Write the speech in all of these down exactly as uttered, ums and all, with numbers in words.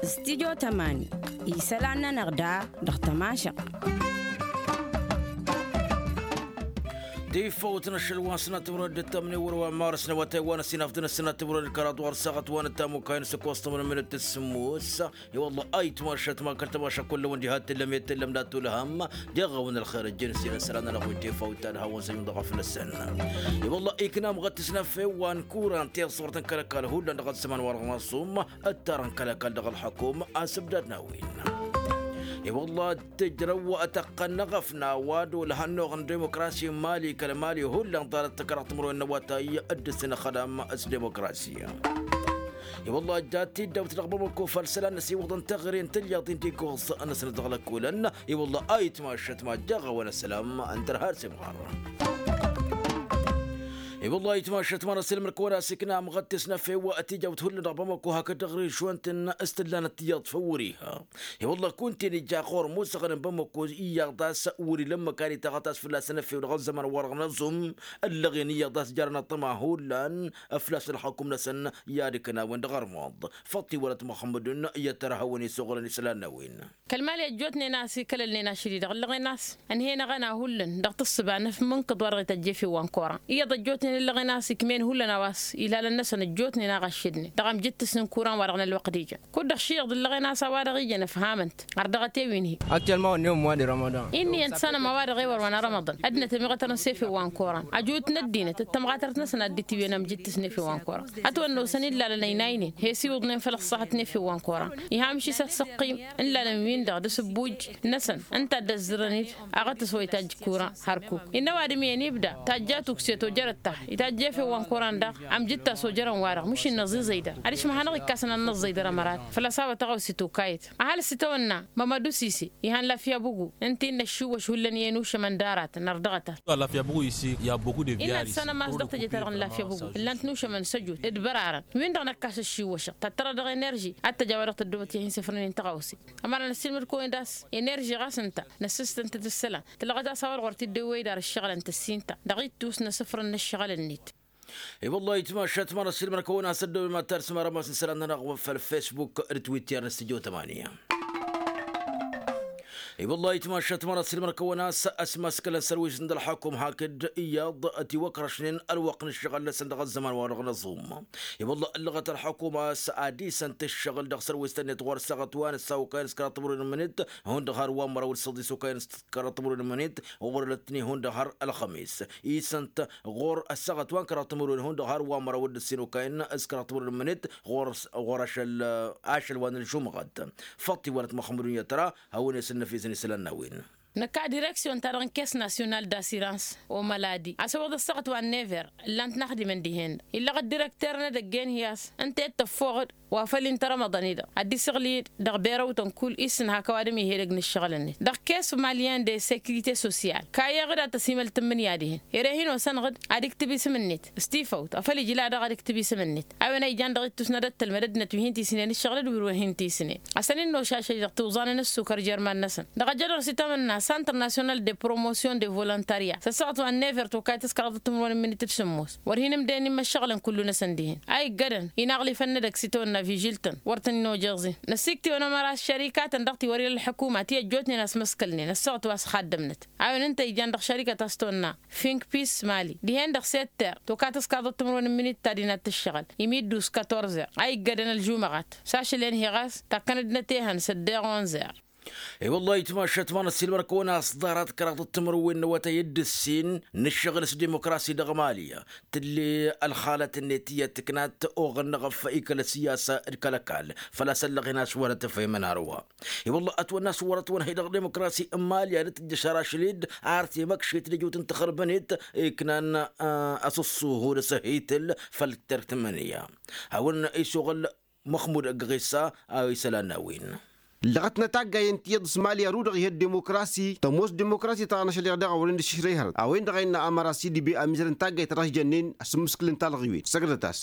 Studyo tămani isălan-nănăɣ da dăɣ-tămašăɣt. Tifăwt n-ašăl wa n-sănat timǝrwen d-tămni wăr-wa n-mars n-awătay wa n-asinaf d-năsănat timǝrwen d-kăraḍ wa n-săɣăt wa n-tamukay n-săkwas tămǝrwen minut d-sǝmmos. I-wălla ayǝtmašăt ma kăl-tămašăt kull-wăn diha t-tǝllăm i-tǝllăm dat-tulhăm. Deɣ-awăn ălxer ăjjăn s-inăsălan ălɣuj tifăwt ta d-hawăn-săjun dăɣ-aflăsăn. I-wălla ikna amɣăt s-năfew wa n-kuran tiḍsărt n-kăl-ăkall hullan dăɣ-ăzzăman wa dăɣ-năṣum. Ăttarăn kăl-ăkall dăɣ-ălxăkum asǝbdad n-a-wen. I-wălla tǝjrăw tăqqăn n-aɣăfna wa d-olăhăn n-oɣ n-dimokrasi n-mali kăl-mali hullan ḍarăt kăraḍ timǝrwen n-awătay. Dd-sǝnăxădam s-dimokrasi. I-wălla jat tiddawt dăɣ-bamako făll-isălan n-asiwǝḍăn teɣăre n-tǝlyaḍ-in tikuẓ-năsnăt dăɣ-lăkkulăn. I-wălla ayǝtmašăt ma ăjjeɣ-awăn ăslam ǝntăr har s-imɣar. I-wălla ayǝtmašăt ma n-asǝlmăr kăwăn-asikna amɣăt tisnăfew tijawt hullan dăɣ-bamako hakd dăɣ-režwăn-tăn s-tǝllanăt tiyyăḍ făw wăr-iha. I-wălla kunta-en ija ɣur-musăɣăn n-bamako iyyăḍ a-s wăr-ila ămmăkan itaɣăt a-s fălla-s ănăfew dăɣ-ăzzăman wa dăɣ-năẓum. Ăllăɣen iyyăḍ a-s jarăn ăṭṭăma hullan. Ăflas ălxăkum-năsăn i-ad-ǝknawen dăɣ-armuḍ. Făṭṭiwălăt măxmudun i-ad-tăra hawăn-isuɣǝlăn isălan n-a-wen. Kăl-mali ăjjootnen a-s ikălălnen ašăl-i-dăɣ ǝllăɣen a-s ănhăynăɣ-anăɣ hullan dăɣ-tǝssǝba n-efmǝnkǝḍ wa dăɣ-ităjj efew wa n-koran iyyăḍ ăjjootnen ǝllăɣen a-s ikmen hullan a-wa s-ilalăn-năsăn ăjjootnen a ɣaššǝdnen dăɣ-amjǝttǝs n-kuran wa dăɣ-nălwăqq d-ijăn. Kud-dăɣ šiɣḍ ǝllăɣen a-s a-wa-dăɣ ijăn ăfhamăn-t ărdăɣăt i-wi n-hi. Actuellement n-ewăm wa d-rămăḍan. Inniyăn tăsanăm a-wa-dăɣ ewăr wa n-arămăḍan ăddinăt ămiɣătărăn s-efew wa n-koran. Ăjut n-ăddinăt d-tamɣatărt-năsăn ad-dd-itiwǝyăn amjǝttǝs n-efew wa n-koran. Ătwănn'-osăn ilalăn ăynaynen he-s iwǝḍnen făll-ăṣṣaḥăt n-efew wa n-koran. Iha amšis ad-săqqim n-ilalăn-win-dăɣ d-asǝbbuj-năsăn ǝnta a dd-ăzzărăn-dd aɣătăs wa itajj kuran. Hărkuk innă ăwadǝm iyyăn ibda tajja tukse tojărăt ta itajj efew wa n-koran daɣ. Amjǝttas ojărăn-wa-dăɣ mǝšin năẓiẓăy dăr-adǝš măhanăɣ-ikkasăn ad-năẓẓăy dăr-ămărat. Făl-ăsawăt taɣawse tokayăt ăhalǝs itawănna mămădu sise. Ihăn lafya bugu ǝnta-i n-ăššiwwăš hullan i-ănušămăn d-aratăn ărdăɣăt-at. Lafya bugu isi i-a bugu de innă ad-sănăm a-s dăɣ-teje-ta-dăɣ n-lafya bugu ǝllan-t nušămăn săjut d-bărarăn. Win-dăɣ năkkas ăššiwwăšăɣ tăttărăd dăɣ-enerži ad-tăj a-wa dăɣ-tăddobăt i-hin-sǝfrănen tăɣawse. Ămăra năssiilmăd kăwăn-dd a-s enerži ɣas ǝnta năssǝstăn-tăt ǝssălan tǝlɣăt a-s a-wa dăɣ-wăr t-dd-ewwăy dar ǝššăɣǝlăn tăssin-ta dăɣ-ittus n-asǝfrăn n-ǝššăɣǝl-net. I-wăllah itmašat măra s-ilmăr-kăwăn a-s ăddăwem ad-tarsǝm arămas n-isălan-nănăɣ făll-facebook d-twitter n-studio tămania. I-wăllah itmašat măra s-ilmăr-kăwăn a-s ăsmăskălăn sărwis n-dălxăkum hakd iyyăḍ ătiwăkrăšnen ălwăqq n-ǝššăɣǝl-năsăn dăɣ-ăzzăman wa dăɣ-năẓum. I-wăllah ǝllăɣăt ălxăkum a-s ad-isăn-t ǝššăɣǝl dăɣ-sărwis-tăn-net ɣur-ăssaɣăt wa n-ǝssa okăyăn s-kăraḍ timǝrwen n-imǝnit hundăɣ har wa n-măraw d-săḍis okăyăn s-kăraḍ timǝrwen n-imǝnit. Ɣur-ălătni hundăɣ har ălxămis isăn-t ɣur-ăssaɣăt wa n-kăraḍ timǝrwen hundăɣ har wa n-măraw d-ǝssin okăyăn s-kăraḍ timǝrwen n-imǝnit. Ɣur-ašăl ašăl wa n-ălžumɣăt făṭṭ-iwănăt măxmudun i-ad-tăra hawăn-e-s ǝnnăf izăn isălan n-a-wen. Năkk a direksyon-ta-dăɣ n-kes nasyunal d-asirans omăladi a-s ăwwăḍ ăssaɣăt wa n-never. Ǝllan-t n-axdimăn dihen-dăɣ illăɣ ăddirekter n-edăgg-en hi-a-s ǝnta i-dd-tăffoɣăd wa făl-in-tărămăḍăn-i-dăɣ ad-dd-isǝɣlǝy-dd dăɣ-berăwtăn kull isǝnhak ăwadǝm ih' edăgg n-ǝššăɣǝl-net dăɣ-kes malyen de sekirite sosyal. Kayyeɣ-dd ad-tăsimăl tǝmmǝnǝya dihen ere hin-osănăɣ-dd ad-iktǝb isǝm-net s-tifăwt afăl ijla daɣ ad-iktǝb isǝm-net. A-wen a ijan dăɣ-ittus n-ad-ăttălmăd ăddinăt wi hin-tisǝnen ǝššăɣǝl d-wǝr-wen hin-tisǝnen. Ăsăn-in-nošašăj dăɣ-tiwẓan n-ǝssukăr jer-iman-năsăn dăɣ-ăjjădăr s-itawănna santăr nasyonal de promotion de volontarya s-ăssaɣăt wa n-never tokayt s-kăraḍăt timǝrwen n-imǝnit d-sǝmmos. Wăr hin-ǝmdăyăn immăššăɣǝlăn kullu-năsăn dihen a iggădăn inaɣlifăn n-edăgg s-itawănna vižil-tăn wăr tăn-in-ojăẓin. Năssiktǝwăn ămăra s-šărikatăn dăɣ-ti wăr ila ălḥukuma ti ăjjootnen a-s măskălnen ăssaɣăt wa s-ixaddămnăt. A-wen ǝnta ijan dăɣ-šărikăt a-s tăwănna fink pis mali dihen-dăɣ setter tokatăs kaḍăt timǝrwen n-minit ta dinat tǝššăɣǝl imiddu s-katorzer a iggădăn ălžumăɣat. S-ašăl-en hi-ɣas takkăn-dd nătehăn s-ăddeɣ onzer. I-wăllah itmašat ma n-ăssiilmăr-kăwăn a-s ḍarăt kăraḍăt timǝrwen n-awătay d-ǝssin n-ǝššăɣǝl s-dimokrasi dăɣ-mali. Tǝlle ălxalăt-net iyyăt tǝknat oɣăn n-eɣăf ikăl ăssiyasa d-kăl-ăkall făl-a-s ăllăɣen a-s wăr ătfăymăn hărwa. I-wăllah ătwănna a-s wăr-ătwănhăy dăɣ-dimokrasi n-mali ad-dd-tǝjjăš ar ašăl-dd ar temăkšet d-ejut n-taxărbănet iknan asǝṣṣuhu d-asăhitǝl făll-terk tǝmmǝnǝya. Hawăn-isuɣǝl măxmud ăgg-ɣisa a isălan n-a-wen. Ǝllăɣăt-năt taggay ǝnta iyyăḍ s-mali ărudăɣ ih' ăddimokrasi tămoos dimokrasi ta n-ašăl-iɣ daɣ a wăren d-ašǝšrăy hărăt a-wen-dăɣ a innă ămăra s-idǝbe amizăr n-taggayt ta dăɣ-s jănnen. Asǝmmǝskǝl n-talɣiwet săgdăt-as.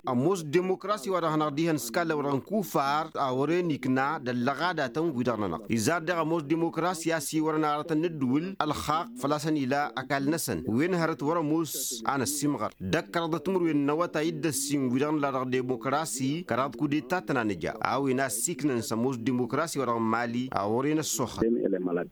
Ămoos dimokrasi wa dăɣ-hanăɣ-dihăn s-kallăw dăɣ-inkufar a wăren ikna d-ăllăɣadatăn-wi-dăɣ-nănăɣ izar daɣ ămoos dimokrasi a-s iwărăn aratăn n-ǝddǝwǝl ălxaqq făl-a-s ănila ăkall-năsăn wen hărăt wăr-ămoos a năssimɣăr. Dăkkăraḍăt timǝrwen n-awătay d-ăssin wi-dăɣ nǝla dăɣ-dimokrasi kăraḍ kudeta tăn-anǝja a-wen a ăssiiknăn s-ămoos dimokrasi wa dăɣ-n mali a wăren ăssoxăt.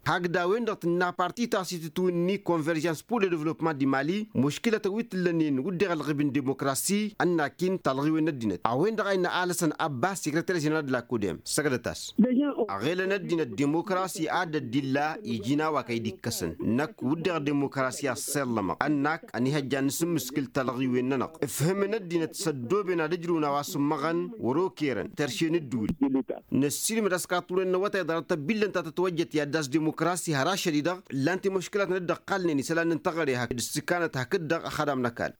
Hakd a-wen-dăɣ tǝnna parti taɣsit tǝtwǝnni konverjans pur le-devlopman di mali muškǝlătăn wi t-ǝllănen wǝdden ălɣib n-dimokrasi ănnakin talɣiwen n-ăddinăt a-wen-dăɣ a innă alăsăn ăbbas sekreter ženeral d-lakudem săgdăt-as. Aɣelăn ăddinăt dimokrasi ad-ăddilla iji n-a-wa kăy-dd-ikkăsăn năkk wǝdden dimokrasi a ăṣṣellămăɣ ănnak ănihăjjan n-asǝmmǝskǝl talɣiwen-nănăɣ ǝfhǝmăn ăddinăt s-ăddooben ad-ǝjrǝwăn a-wa sǝmmăɣăn wăr-okerăn terše n-ǝddǝwǝl. Năssiilmăd a-s kaḍ turăn n-awătay ḍarăt tăbbillăn ta tătwăjjăt i-ad-dd-as dimokrasi har ašăl-i-dăɣ ǝllan-t i-muškǝlatăn dd-ăqqalnen isălan n-teɣăre hakd ǝssǝkanăt hakd-dăɣ ăxadam n-ăkall.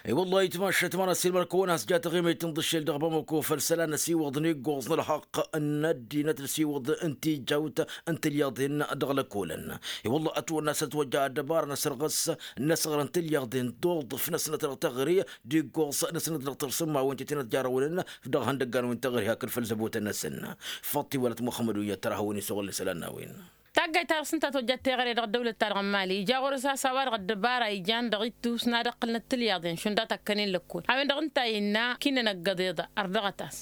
I-wăllah itmašat ma n-ăssiilmăr-kăwăn a-s ja taɣimăyt n-iḍǝššel dăɣ-bamako făll-isălan ăsiwăḍ n-iggoẓ n-ălxaqq n-ăddinăt ăsiwăḍ n-tijawt n-tilyaḍen dăɣ-lăkolăn. I-wăllah ătwănna s-ătwăjja ăddăbara n-asărɣǝs n-asăɣrăn tilyaḍen d-oḍǝf n-ăsnăt dăɣ-teɣăre d-iggoẓ n-ăsnăt dăɣ-tărsǝmma wa n-tetănăt jarăwănen dăɣ-ihăndăggan wi n-teɣăre hakd făll-zăbotăn-năsăn. Făṭṭ iwălăt muxămmăd wi ăttăr a hawăn-isăɣǝl isălan n-a-wen. Taggayt ta dăɣ-s ǝnta tojjat teɣăre dăɣ-ăddăwlăt-ta-dăɣ n-mali ija ɣur-s a-s a-wa-dăɣ ăddăbara ijan dăɣ-ittus n-ad-ǝqqǝlnăt tilyaḍen šund a tăkkănen lăkkol a-wen dăɣ-ǝnta innă kinănăggăḍ iḍa ărdăɣăt-as.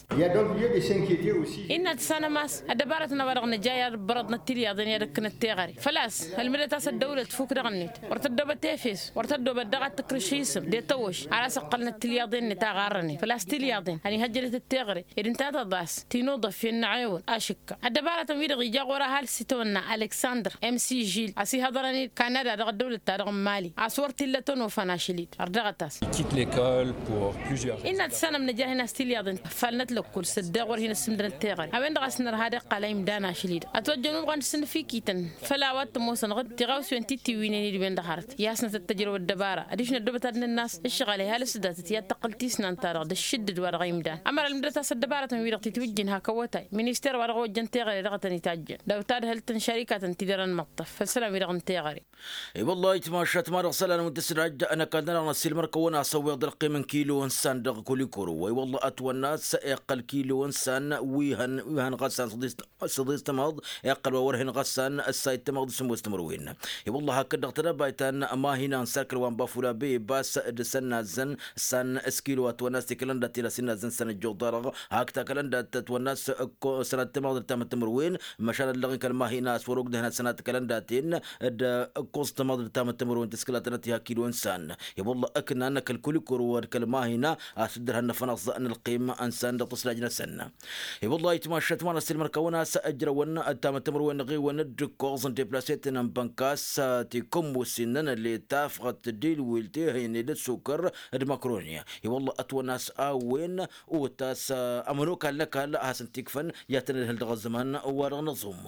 Innă tǝssanăm a-s ăddăbarătăn a-wa-dăɣ nǝja i-ad-ǝbbărăḍnăt tilyaḍen i-ad-ǝkkǝnăt teɣăre făl-a-s ălmǝdăt-as ăddăwlăt fuk dăɣ-net wăr tăddobăt efes wăr tăddobăt daɣ ad-tǝkrǝš isǝm de-tăwăš ar a-s ǝqqălnăt tilyaḍen-net a ɣarrănen făl-a-s tilyaḍen ănihăjjădăt d-teɣăre ed ǝnta tăḍas tinǝḍăf i-ănnăɣewăl ašǝkka ăddăbarătăn-wi-dăɣ ija ɣur-ahal s-itawănna aleksandăr m s žil a-s ihăḍărăn-dd kanada dăɣ-ăddăwlăt-ta-dăɣ n-mali a-s wăr t-illa tănofăn ašăl-dd ărdăɣăt-as. Innă tǝssanăm nǝja hin-as tilyaḍen ăffalnăt lăkkul s-ăddeɣ wăr hin-ăssǝmdănăt teɣăre a-wen-dăɣ a-s nărha ad-iqqal a imdan ašăl-dd ătwăjjăn umɣăn s-inǝfikităn făll-a-wa t-ămoosăn ɣǝd tiɣawsiwen ti-tiwǝynen i-dd-wen dăɣ-hărăt i-asnăt d-tăjrăw ăddăbara adiš n-ăddoobăt ad-nǝnnas ǝššăɣǝl ihal s-datăt i-ad-tăqqǝl tisnant-ta-dăɣ d-ǝššǝddǝd wa dăɣ-imdan ămăra ălmǝdăt-as ăddăbarătăn-wi-dăɣ titwǝjjǝn hak awătay minister wa dăɣ-ojjăn teɣăre dăɣ-tăn-itajjăn d-awtadhălt n-šărikatăn ti dăr-ănmăṭṭăf făll-isălan-wi-dăɣ n-teɣăre. I-wăllah itmašat ma dăɣ-isălan wi n-tǝsdajj ănăkall-nănăɣ n-ăssiilmăr-kăwăn a-s ăwweḍ ălqim n-kilo n-isan dăɣ-kulikuru wa i-wăllah ătwănna a-s iqqăl kilo n-isan wi hăn wi hăn ɣas a-s ăḍis s-ăḍis tămaḍ iqqăl wa wăr hin-ɣăssan ăssayǝd tămaḍ d-sǝmmos timǝrwen. I-wălla hakd-dăɣ tădăbayt ta n-mahina n-sarkăl wa n-bafula bebas d-sănnazzăn s-an s-kilo a tăwănna s-tikălăndat ti-la s-innazzăn s-an ăjjoḍ-dăɣ hak takălăndat tătwănna s-sănat tămaḍ d-tamăt timǝrwen. Măšan ăllăɣ-in kăl-mahina a-s wăr-ogdăhna sănat kălăndaten d-ǝkkoẓ tămaḍ d-tamăt timǝrwen tǝskǝlatănăt i-hakilo n-san. I-wălla ǝknan kăl-kulikoro d-kăl-mahina a-s dd-ărhăn năfănăẓ n-ălqim n-san dăɣ-tǝslaj-năsăn. I-wălla itmašat ma n-ăssiilmăr-kăwăn a-s ăjrăwăn ăttamăt timǝrwen n-iɣewăn d-ǝkkoẓ n-deplaseten n-bănkas tikǝmmusin n-anăle tafɣăt d-ilwil tehăyne d-ăssukăr d-măkroni. I-wălla ătwănna a-s a-wen otas ămănokal n-ăkall a hasăn-t-ikfăn i-ad-tăn-ădhǝl dăɣ-ăzzăman wa dăɣ-năẓum.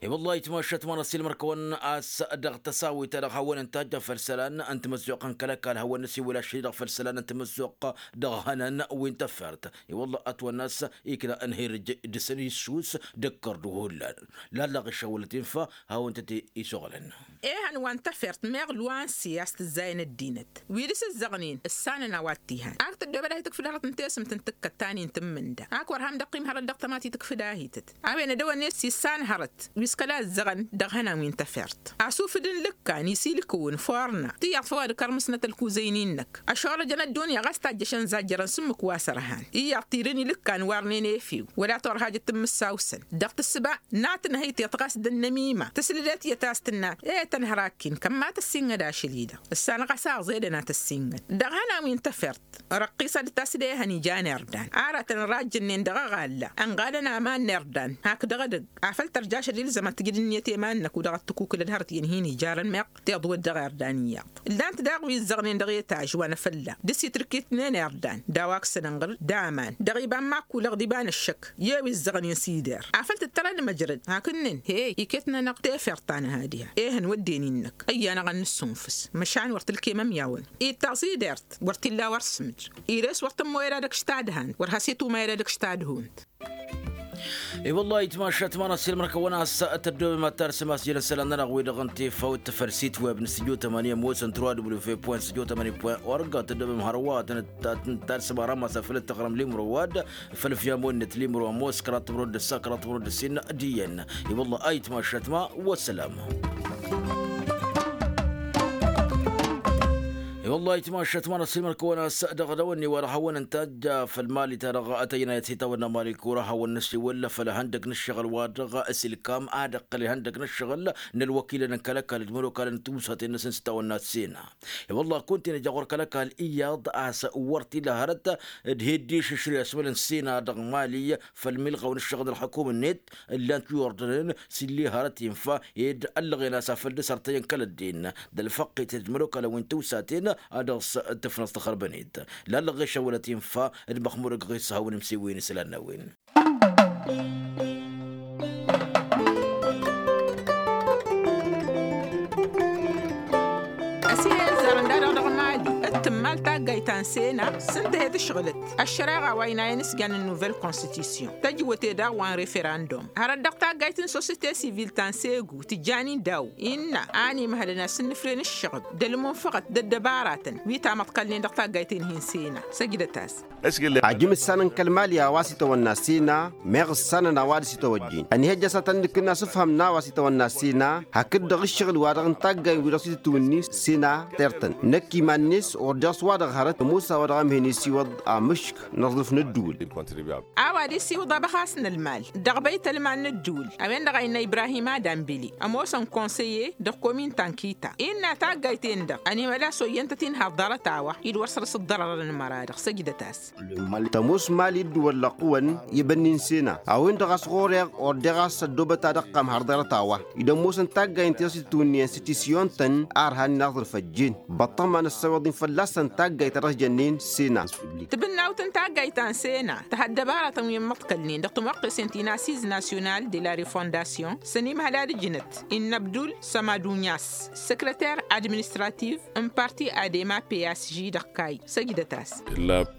I-wălla itmašat ma n-ăssiilmăr-kăwăn a-s dăɣ-tăsawit a dăɣ-hawăn-ǝntajjăn făll-isălan n-timǝzzuɣt n-kăl-ăkall hawăn-năsiwǝl ašăl-i-dăɣ făll-isălan n-timǝzzuɣt dăɣ-ihănan wi n-tăffert. I-wălla ătwănna a-s ikna ănhirǝj dăr-săn issus d-ǝkkăr d-uhullan. Lallăɣ išăwălăt infa hawăn-tăt-isuɣǝlăn. Ehăn wa n-tăfert meɣ luansi a-s tǝzzayăn ăddinăt wi dăr-s ǝzzăɣnen ǝssanăn a-wa t-ihăn ak tăddoobăd a hi-tǝkfǝd hărăt n-tesǝmt n-tǝkkăt ta n-intǝmmǝnda ak wăr ham dăɣ-t-im hărăt dăɣ-tăma ti-tǝkfǝd a hităt. A-wen ădăwănne s-issan hărăt wi s-kăla ǝzzăɣăn dăɣ-ihănan wi n-tăfert asufǝd n-lǝkkan isilǝkǝwǝn forna tiyyăḍ făw ad-kărmǝsnăt ălkuzăynin-năk ăšorăjăn ăddunya ɣas tajjăšăn zajjărăn s-ǝmmǝk wa s-ărhan iyyăḍ tirǝn ilǝkkan warnen efew wăla torhajăt tǝmmǝssawsăn dăɣ-tǝssǝba n-ad-tǝnhăyteḍ ɣas d-ănnămima tǝslǝdet iyyăt a-s tǝnna e-tăn hărakken kămma tăssinnăd ašăl-i-dăɣ ǝssan ɣas aẓedăn ad-tăssinnăd dăɣ-ihănan wi n-tăfert răqqisăd-t a-s d-ehăn ijan irdan aratăn ărajjănnen dăɣ-aɣalla ănɣalăn aman n-irdan hakd dăɣ-edăgg afăl tărja ašăl ilzăm ad-tǝjǝd ǝnniyăt i-iman-năk u-dăɣ ăttǝkukǝlăd hărăt i-ănhin ijarăn meɣ tiḍwăt dăɣ-irdan iyyăḍ ǝllan-t daɣ wi ǝzzăɣnen dăɣ-etaj wa n-afălla dăr-s itrǝkitnen irdan d-a-wa ăksănănɣăr d-aman dăɣ-iba n-imakkulăɣ d-iba n-ăššăk i-wi ǝzzăɣnen s-ider afăl tǝttărăd măjrăd hakd-nin he iket-nănăɣ tefert ta nǝha diha ehăn wădden-in-năk ăyy-anăɣ ad-nǝssunfǝs măšan wăr tǝlkem ămyawăn ittaẓ ider-t wăr t-illa wăr sǝmǝj ires wăr tǝmmoyăd ad-ăkš tadhant wăr has-itumayăd ad-ăkš tadhunt. I-wălla-hi ayǝtmašat ma n-assilmăr kăwăn-as tăddobem ad-tarsǝm asjăl n-isălan-nănăɣ wi-dăɣ n-tifawt tafărsit web n-studio tămani ămoosăn trois w point studio tămani point org tăddobem hărwa ad-tăn-tarsǝm aram asăfăl d-taɣrăm limro wa-dd făll-fiyamon-net limro ămoos kăraḍ timro d-ǝssa kăraḍ timro d-ǝssin d-iyyăn. I-wălla-hi ayǝtmašat ma. Wăssălam. I-wălla-hi ayǝtmašat ma n-assilmăr kăwăn-as dăɣ-dăwănni wa dăɣ-hawăn-ǝntajja făll-mali-ta-dăɣ ătăjnayăt s-itawănna mali kura hawăn-năsiwăl făll-ihăndăg n-ǝššăɣǝl wa dăɣ-s ilkam ad-ǝqqǝl ihăndăg n-ǝššăɣǝl n-ălwăkilăn n-kăl-ăkall d-imănokalăn n-tiwsaten-năsăn s-itawănna s-sena. I-wălla-hi kunta-in ija ɣur-kăl-ăkall iyyăḍ a-s wăr t-ila hărăt d-hi-dd-išǝšrǝy asmăl n-sena dăɣ-mali făll-milɣaw n-ǝššăɣǝl n-ălxukum-net ǝllan-t wi ordănen s-illi hărăt infa ed ăllăɣen-as afăl dăr-s ărtăyăn kăl-ăddin d-ălfăqqet d-imănokalăn wi n-tiwsaten a dăɣ-s tǝfnăẓ tăxărbăn-dd. Lallăɣ ɣešăwălăt infa d-măxmudăg ɣis hawăn-imsiwǝyăn isălan n-a-wen. Ăsihezzărăn da-dăɣ dăɣ-mali d-tǝmmal taggayt ta n-sena s-ǝnta he-tǝšɣǝlăt ăššăreɣa wa ăynayăn s-jan n-nuvăl konstitisyon tăjwăte daɣ wa n-referandum hărăt dăɣ-taggayt n-sosite sivil ta n-segu tǝjjan-in daw innă a ănimhălăn asǝnnǝfre n-ǝššăɣǝb d-ălmunfăɣăt d-ăddăbaratăn wi tamăḍkălnen dăɣ-taggayt-en-hi n-sena. Săjdăt-as. Ajǝm ǝssanăn kăl-mali a-wa s-itawănna sena meɣ ǝssanăn a-wa dăɣ-s itawăjjin ănihăjja s-ad-tăn-nǝkǝnna s-ǝfhăm n-a-wa s-itawănna sena hakd-dăɣ ǝššăɣǝl-wa-dăɣ n-taggayen-wi-dăɣ s-itǝtwǝnnin sena tertăn năkk iman-net ordeɣ s-wa-dăɣ hărăt ămoos a-wa dăɣ-amhen isiwăḍ amǝšk n-aẓrǝf n-ădduul. A-wa d-isiwǝḍ abăxas n-ălmal dăɣ-băytălman n-ădduul a-wen-dăɣ a innă ibrahim adambili ămoosăn konsăye dăɣ-komin ta n-kita innă taggayt-en-dăɣ ănimăla s-oyyăn-tăt-in ha ḍarăt-a-wa-hi d-wăr săr-s ǝḍḍărărăn ămăra-dăɣ săjdăt-as. Tămoos mali d-wăllăɣ-wăn i-bănnin sena a-wen-dăɣ a-s ɣur-eɣ ordeɣ a-s ăddoobăt ad-ăqqam har ḍarăt-a-wa-hi d-ămoosăn taggayen ti dăɣ-s itǝtwǝnnǝyăn s-tisyon-tăn ar hannen aẓrǝf ăjjeen băṭṭăma n-ăssăwăḍ-in fălla-săn taggayt ta dăɣ-s jănnen sena. Tibǝnnawt n-taggayt ta n-sena tăha ăddăbaratăn wi ǝmmăḍkălnen dăɣ-timwăqqesen ti n-asiz nasyonal de la refondasyon s-ănimhăl ad-ǝjnăt innă ăbdul sămadunyas săkrăter administrativ n-parti adema psg dăɣ-kayy. Săjdăt-as.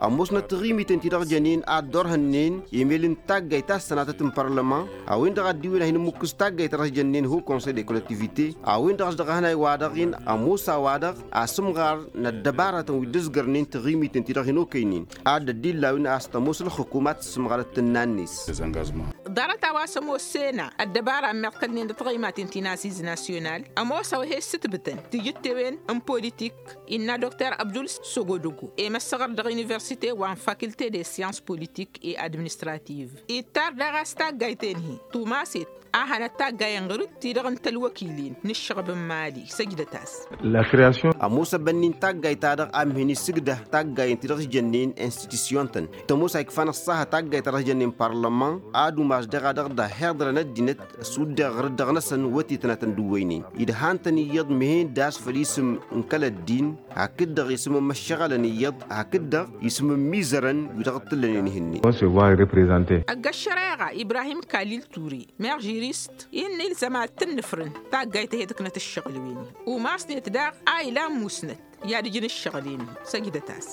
Ămoosnăt taɣimiten ti dăɣ-jănen ad-dd-orhănnen emel n-taggayt ta s-sănatăt n-parlăman a-wen-dăɣ a dd-iwǝn ad-hin-ǝmmǝkkǝs taggayt ta dăɣ-jănnen ho konsăy de kollektivite a-wen-dăɣ a-s dăɣ-ehănay-wa-dăɣ-in ămoos a-wa-dăɣ asǝmɣar n-ăddăbaratăn wi dd-ǝzgărnen taɣimiten ti dăɣ-hin-okăynen ad-dd-illa a-wen a-s tămoos ălxǝkum ad-tǝssǝmɣărăt tǝnna-net. Ḍarăt a-wa s-ămoos sena ăddăbara ămmiḍkălnen dăɣ-taɣimaten ti n-asiz nasyonal ămoos a-wa he-ǝssǝtbǝtăn tijǝttewen n-politik innă dokter abdul sogodogo i-măssăɣăr dăɣ-universite wa n-fakulte de syans politik i-administrativ ittar daɣ a-s taggayt-en-hi tumaset a hănăt taggayen ɣǝr-dd ti-dăɣ n-tălwăkilin n-ǝššăɣb n-mali. Săjdăt-as. Ămoos ăbănni n-taggayt-ta-dăɣ a ǝmhen isǝgdăh taggayen ti dăɣ-s jănnen institusyon-tăn tămoos a ikfan ăṣṣahă taggayt ta dăɣ-s jănnen parlăman ad-umas deɣ a dăɣ-dd-ăhhiḍărăn ăddinăt s-uddeɣ ɣǝr-dd dăɣ-năsăn wătetăn ad-tăn-dd-uwăynen idhan-tăn iyyăḍ mehen d-a-s făll-isǝm n-kăl-ăddin hakd-dăɣ isǝm n-imăššăɣălăn iyyăḍ hakd-dăɣ isǝm n-imizărăn wi-dăɣ t-ǝllănen ihǝnnin. Ăgg ăššăreɣa ibrahim kalil ture meɣ žirist innă ilzăm ad-tǝnnǝfrǝn taggayt ta he-tǝknăt ǝššăɣǝl-wen-hi umasnet daɣ a ilan musnăt i-ad-ǝjǝn ǝššăɣǝl-en-hi. Săjdăt-as.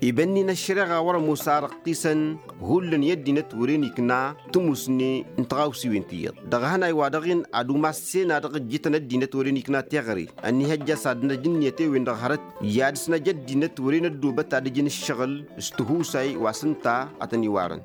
Ibănnin ăššăreɣa wăr-ămoos a răqqisăn hullan i-ăddinăt wăren ikna tǝmusne n-tiɣawsiwen ti iyyăḍ dăɣ-ehănay wa dăɣ-in ad-umas sena dăɣ-ǝjjǝtăn ăddinăt wăren ikna teɣăre ănnihăjja s-ad-năj ǝnniyăt i-wen-dăɣ hărăt i-ad-săn ăj ăddinăt wăren ăddoobăt ad-ǝjǝn ǝššăɣǝl s-tihusay wa s-ǝnta a tăn-iwarăn.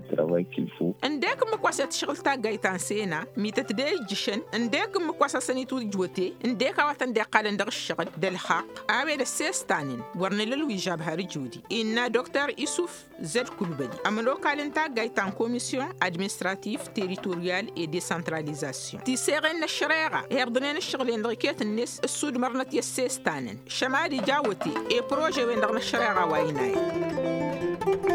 Ǝndek ǝmmǝk wa s-e-tǝšɣǝl taggayt ta n-sena mităt d-e-ijjǝšăn ǝndek ǝmmǝk wa s-hasăn-itwǝjwăte ǝndek a-wa tăn-dd-iqqalăn dăɣ-ǝššăɣǝl d-ălxaqq a-wen ăssestan-in wăr nǝla ălwižab har ǝjudi innă dokter isuf zăd kulbăli ămănokal n-taggayt ta n-komisyon administrativ teritoryal e-desăntralizasyon tiseɣen n-ăššăreɣa ihiḍnen ǝššăɣǝl-en dăɣ-iket-net ǝssudmărnăt i-ăssestan-in šămad ija wăte i-prože-wen-dăɣ n-ăššăreɣa wa inayăn.